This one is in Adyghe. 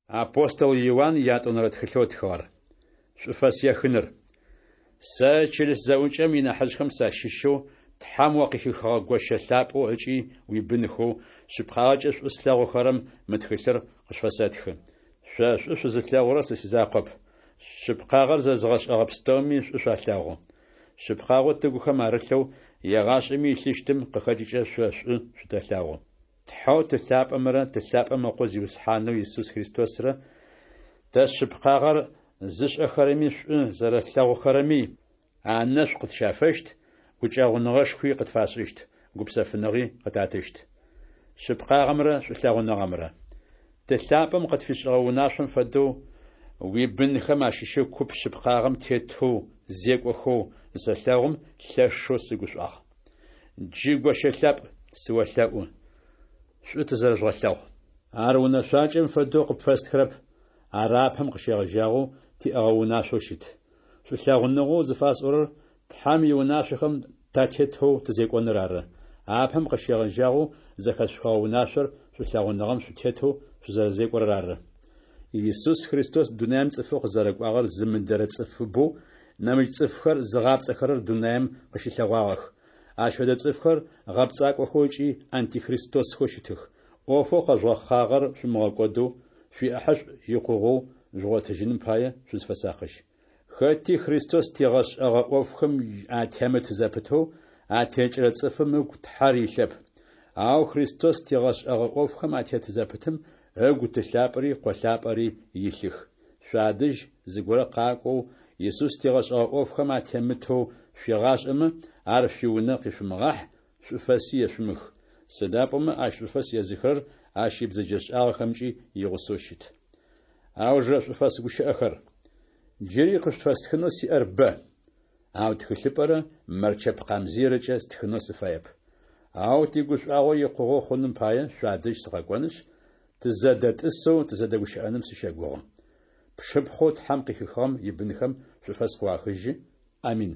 Апостол Иуан ятӏонэрэ тхылъэу ытхыгъэр. Шӏуфэс ехыныр. Сэ чылыс зэӏукӏэм инахьыжъхэм сащыщэу, Тхьэм о къыхихыгъэ гощэ лъапӏэу ыкӏи уибынхэу, шъыпкъагъэкӏэ шӏу слъэгъухэрэм мы тхылъыр къышъуфэсэтхы. Шъо шӏу шъузылъэгъурэр сэ сизакъоп, шъыпкъагъэр зэзыгъэшӏэгъэ пстэуми шӏу шъуалъэгъу. Шъыпкъагъэу тыгухэм арылъэу, егъашӏэми илъыщтым къыхэкӏыкӏэ шъо шӏу шъутэлъэгъу. Тхьэу Ты лъапӏэмрэ Ты лъапӏэм Ыкъо Зиусхьанэу Исус Христосрэ тэ шъыпкъагъэр зышӏэхэрэми шӏу зэрэлъэгъухэрэми анэшӏу къытщафэщт, гукӏэгъуныгъэшхуи къытфашӏыщт, гупсэфыныгъи къытатыщт. Шъыпкъагъэмрэ шӏулъэгъуныгъэмрэ. Ты лъапӏэм къытфишӏыгъэ унашъом фэдэу, уибынхэм ащыщэу куп шъыпкъагъэм тетэу зекӏохэу зысэлъэгъум, лъэшэу сыгушӏуагъ. Джы, гощэ лъапӏ, сыолъэӏу, шӏу тызэрэжъугъэлъэгъу. Ар унэшъуакӏэм фэдэу къыпфэстхырэп, ар апэм къыщегъэжьагъэу тиӏэгъэ унашъоу щыт. Шӏулъэгъуныгъэу зыфасӏорэр Тхьэм иунашъохэм татетэу тызекӏоныр ары. Апэм къыщегъэжьагъэу зэхэшъухыгъэ унашъор шӏулъэгъуныгъэм шъутетэу шъузэрэзекӏорэр ары. Исус Христос дунаем цӏыфэу къызэрэкӏуагъэр зымыдэрэ цӏыфыбэу нэмыкӏ цӏыфхэр зыгъапцӏэхэрэр дунаем къыщылъэгъуагъэх. Ащ фэдэ цӏыфхэр гъэпцӏакӏохэу ыкӏи антихристосхэу щытых. ӏофэу къэжъугъэхъагъэр шъумыгъэкӏодэу, шъуиӏэхьышӏу икъугъэу жъугъотыжьыным пае шъузфэсакъыжь. Хэти Христос тигъэшӏэгъэ ӏофхэм атемыт зэпытэу, атекӏырэ цӏыфым ыгу Тхьэр илъэп. Ау Христос тигъэшӏэгъэ ӏофхэм атет зэпытым ыгу Ты лъапӏэри Къо лъапӏэри илъых. Шъуадэжь зыгорэ къакӏоу, Исус тигъэшӏэгъэ ӏофхэм атемытэу шъуигъашӏэмэ, ар шъуиунэ къишъумыгъахь, шӏуфэси ешъумых. Сыда пӏомэ ащ шӏуфэс езыхырэр ащ ибзэджэшӏагъэхэмкӏи игъусэу щыт. Аужырэ шӏуфэс гущыӏэхэр. Джыри къышъуфэстхынэу сиӏэр бэ, ау тхылъыпӏэрэ мэрчэп къамзыйрэкӏэ стхынэу сыфаеп. Ау тигушӏуагъо икъугъэу хъуным пае шъуадэжь сыкъэкӏонышъ, тызэдэтӏысэу тызэдэгущыӏэным сыщэгугъы. Пшыпхъоу Тхьэм къыхихыгъэм ибынхэм шӏуфэс къыуахыжьы. Амин.